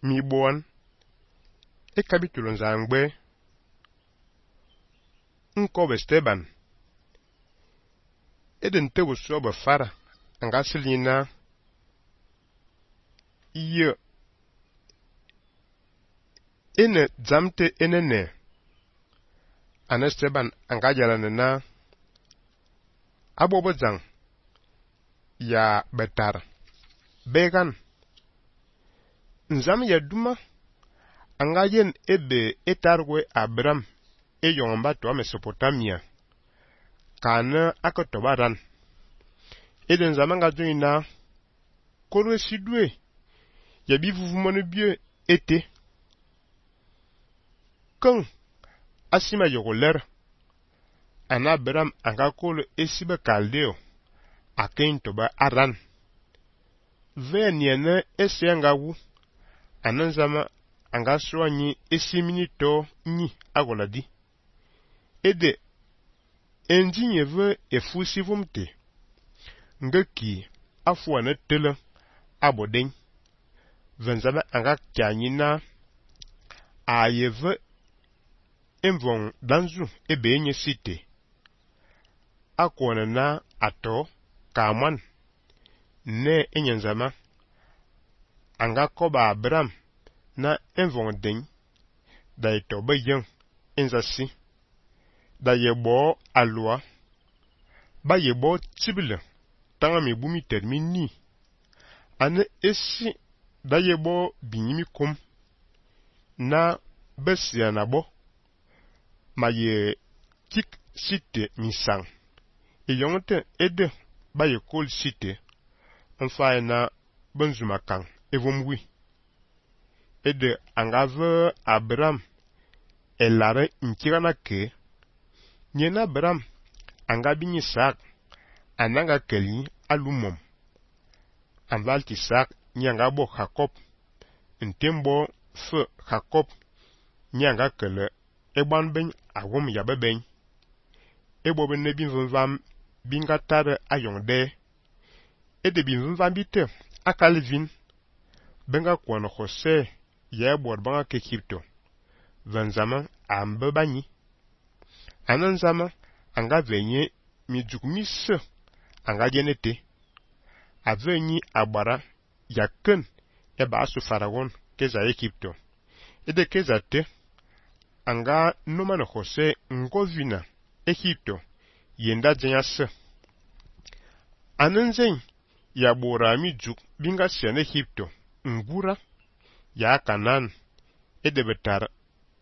mi bon e capítulo nzangbe nko be Steban eden te so be fara anga silina ye ene zamte enene ana Steban anga jalana na abobo zang ya betar began nzam ya duma anga yen ebe etarwe Abraham e yongba to Mesopotamia kana akotobaran eden zamanga joina koro sidwe ya bivuvumone bie ete kan asima yogoler ana Abraham anga kolo esibe kaldeo aken toba aran veniene esenga wu ananzama anga soanyi esimini to nyi agoladi ede enjinye ve efusivumte ngeki afuane tele aboden venzama anga kyanyina ayeve envon danzu ebe enye site akwana na ato kaman ne enyenzama anga koba Abraham na envon den da ito bayan enzasi da yebo alwa ba yebo tibile tanga mi bumi termini ane esi da yebo binyimi kum na besia na bo ma ye kik site misang yongte ede ba ye kol site enfa na benzuma kan evomwi ede angave Abraham elare nkirana ke nyena Abraham anga binyi sak ananga keli alumom anvalti sak nyanga bo Jacob ntembo fe Jacob nyanga kele eban ben awom ya beben ebo ben nebi vvam binga tare ayongde ede bi vvam bite akalvin benga kono Jose ya bor banga ke Egypto vanzama ambe bani ananzama anga venye mi jukmise anga jenete avenyi abara yaken eba asu Faragon keza Egypto ede keza te anga numana Jose ngovina Egypto yenda jenyase ananzen ya bora mi juk binga sian Egypto ngura ya Kanan ede betar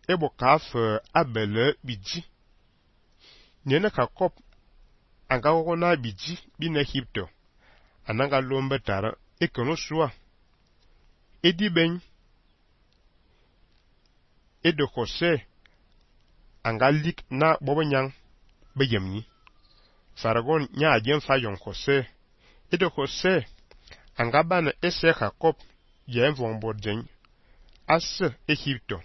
ebo kaf abele biji nyene Jacob anga wona biji bin Egypto ananga lombe tara ekono sua edi ben edo Jose anga lik na bobonyang beyemni Faragon nya ajen fayon Jose edo Jose anga bana ese Jacob yenvon bodjen as Egypto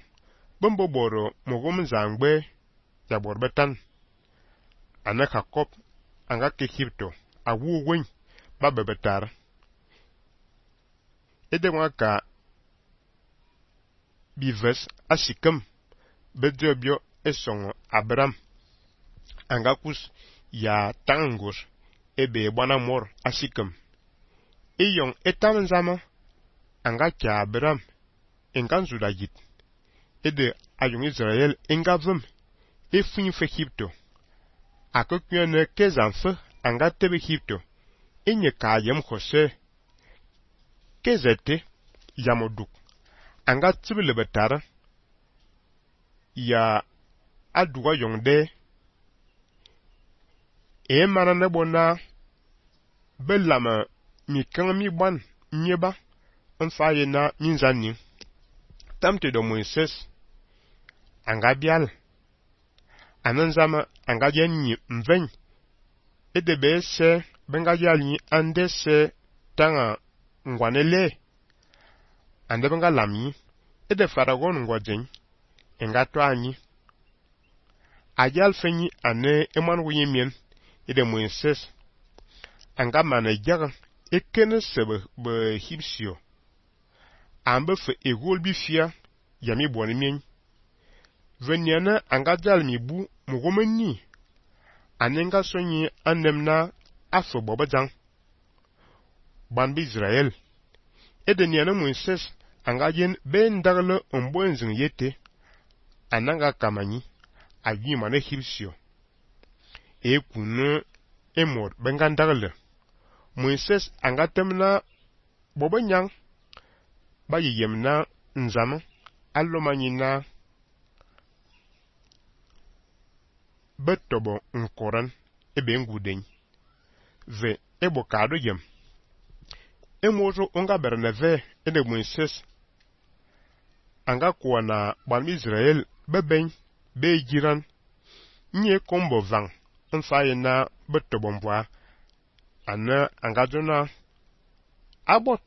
bombo boro mogom zangbe ya borbetan ana Jacob anga ke Egypto awu wen babebetar ede waka bives asikem bedrebio esongo Abraham anga kus ya tangus ebe bwana mor asikem eyong etamzama anga kya Abraham enganzu dagit ede ayong Israel engavum efunyi fe Egypto akokyene kezanfe anga tebe Egypto enye kayem Jose kezete yamoduk anga tibile betara ya aduwa yongde mana nebona belama mi kan mi ban nyeba enfaye na minzani tamte do Moises anga bial ananzama anga yenyi mven edebe se benga yali andese tanga ngwanele ande benga lami ede Faragon ngwajen enga to anyi ajal fenyi ane eman wuyemien ede Moises anga mana jaga ekene sebe be Hibsio ambe fe egol bi fia ya mi boni mien veniana anga dal mi bu mugomeni anenga sonyi anemna afo bobajang ban bi Israel edeniana Moses anga yen ben dagle ombonzin yete ananga kamanyi ayi mane hibsio kunu emor bengan dagle Moses anga temna bobanyang ba yemna nzama allomanyina betobo nkoran ebe nguden ve ebo kado yem emojo onga berneve ede Moses anga kuana ban Israel beben be jiran nye kombo vang mfayena betobo mbwa ana anga jona abot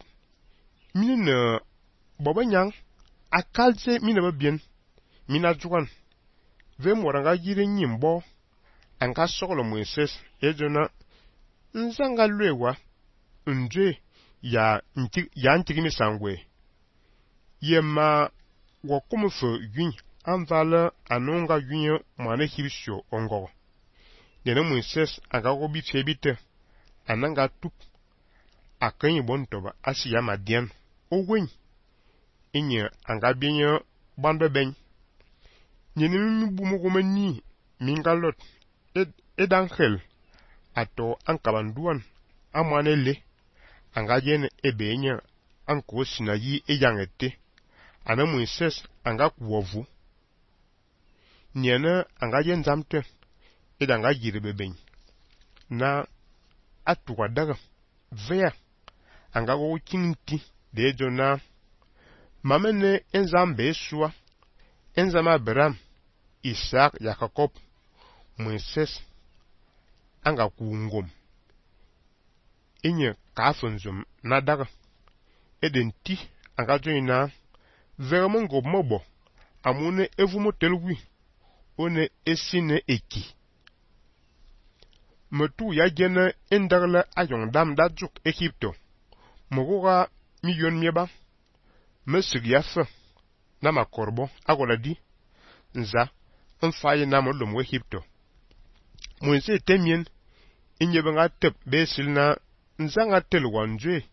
mine bobanyang akalje mine babien mina juan ve moranga yire nyimbo anga sokolo Moses ejona nzanga lwewa nje ya ntigimi sangwe yema wakumufo yun anvala anonga yun mane hibisho ongo dena Moses anga gobi febite ananga tup akanyi bontoba asiya madian ogwen inye anga binyo bando ben nyene mi bumo gomani mingalot edangel ato ankabanduan amanele anga jene ebenya anko sinayi eyangete ana Moses anga kuwovu nyene anga jen zamte edanga jirebeben na atuwa daga vea anga go kinti de jona mamene enzambe sua enzama Abraham Isaac Jacob Moses anga kungom inye kafunzum na daga edenti anga joina vermongo mobo amune evumo telwi one esine eki metu ya jene endagla ayong dam dajuk Egypto mogoga milyon mieba mesugyafa na makorbo agoladi nza mfaye na molom Egypto Moise temien inyebenga tep besilna nzanga telwanjwe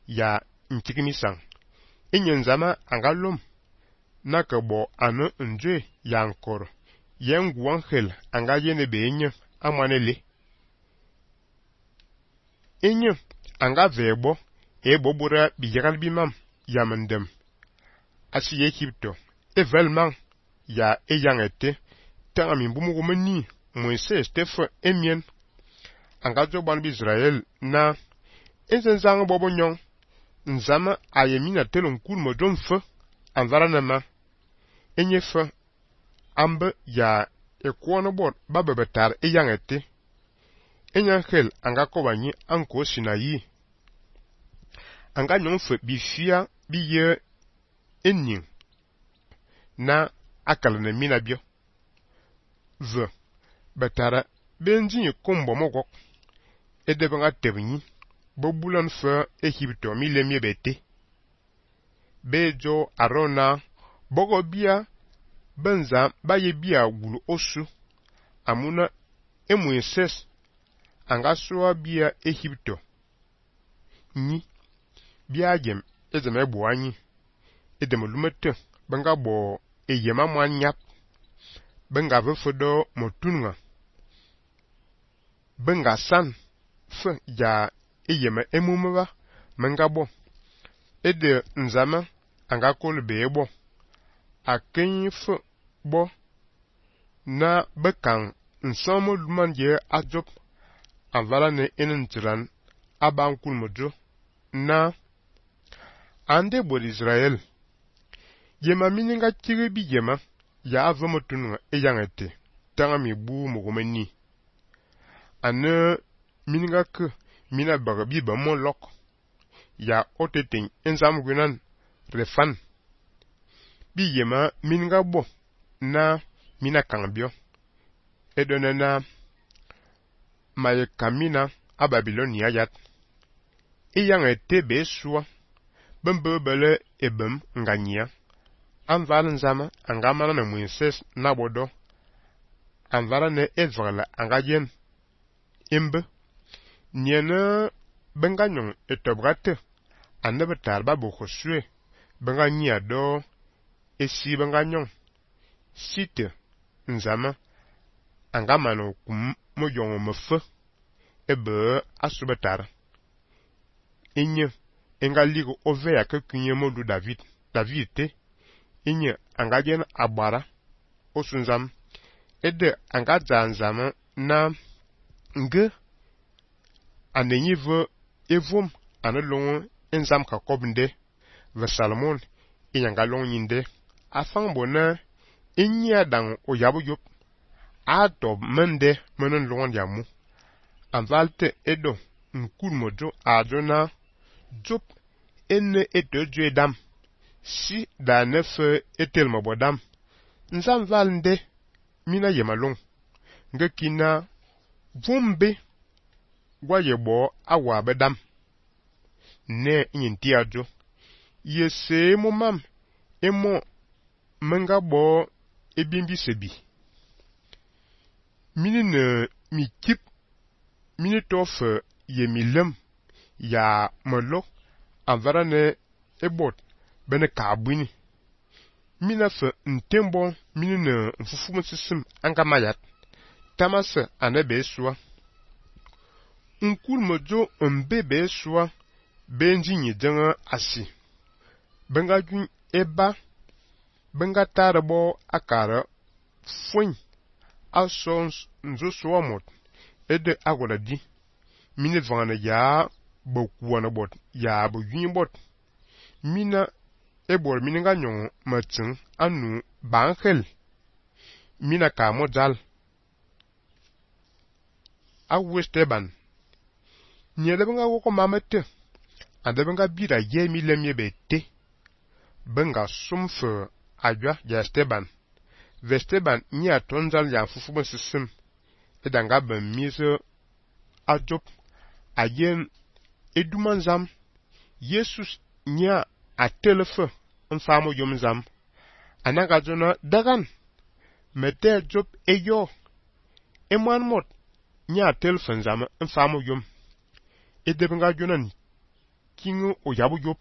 ya ntikimisang inyenzama angalom nakabo anu njwe ya nkor yengu angel anga yene benye amanele inye anga vebo bobura biyagal bimam yamendem asi Egypto evelman ya eyangete tanga mimbumu gomani Moises tefa emien anga joban bi Israel na ezenzang bobo nyong nzama ayemina telon kul modom fa anvara nama enyefa ambe ya ekwono bot babebetar eyangete enyankel anga kobanyi anko sinayi anga nyong fa bifia biye enin na akalene mina bio ve betara benji kombo mogok edebanga tebni bobulan fa Egypto milemye bete bejo arona bogo bia benza baye bia wulu osu amuna Moses anga soa bia Egypto ni bia jem ezeme boanyi edem lumete benga bo eyema mwanyap benga vefodo motunga benga san fe ya eyema emumeba menga bo ede nzama anga kolbe ebo akenyi fe bo na bekan nsomo lumanje ajop avala ne enentiran abankul mojo na ande bo Israel yema mininga tiri bi yema ya avamotunu eyangete tanga mi bu mugomeni ane mininga ke mina bagabi ba mon lok ya oteting enzam gunan refan bi yema mininga bo na mina kangbio edonena maye kamina a Babilonia yat eyangete be sua bembe bele ebem nganyia anval nzama anga mana na Moises na bodo anvala ne ezvala anga yen imbe niene benganyon etobgate anebe tarba bo khosue benganyia do esi benganyon site nzama anga mano kum moyon mefe ebe asubetar inye enga ligo ove ya ke kunye modu David te inye anga jen abara osunzam ede anga zanzama na nge anenyive evom anelongo enzam kakobnde ve Salomon inyanga long nyinde afang bona inya dang oyabu yop adob mende menen longon yamu anvalte edo nkul mojo adona Job enne etejo edam si da nefe etel mabodam nzam valnde mina yemalong nge kina vumbe gwa yebo awa bedam ne nyinti ajo yese momam emo menga bo ebimbi sebi mini ne mikip mini tof yemilem ya molo anvara ne ebot bene kabwini mina fe ntembo mini ne mfufumu sisim anga mayat tamase anebe sua nkul mojo mbebe sua benji nyidenga asi benga jun eba benga tarabo akara fuen asons nzo suamot ede agola di mini vana ya bokuana bot ya bo yin bot mina ebor mini nga nyon matin anu bankhel mina ka modal a Westeban nyele benga woko mamete ande benga bira ye milemye bete benga sumfe ajwa ya Esteban Vesteban nya tonzal ya fufu sisim edanga ben mise ajop ayen edumanzam Jesus nya atelefe mfamo yomzam anaga jona dagan mete job eyo emwan mot nya atelefe nzam mfamo yom edebenga jonan kingu oyabu yop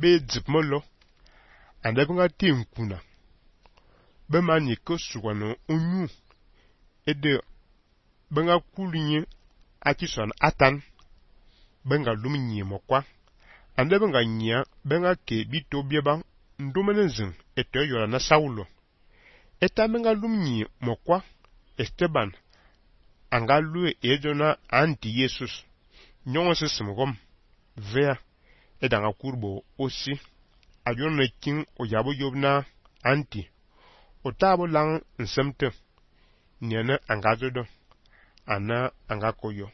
be dzipmolo andebenga tinkuna be mani ko suwano onyu ede benga kulinye akison atan benga luminye mokwa ande benga nya benga ke bito bieba ndomenezin eto yora na Saulo eta benga luminye mokwa Esteban anga lue ejona anti Jesus nyongo sisimgom vea edanga kurbo osi ajona king oyabo yobna anti otabo lang nsemte niene anga jodo ana anga koyo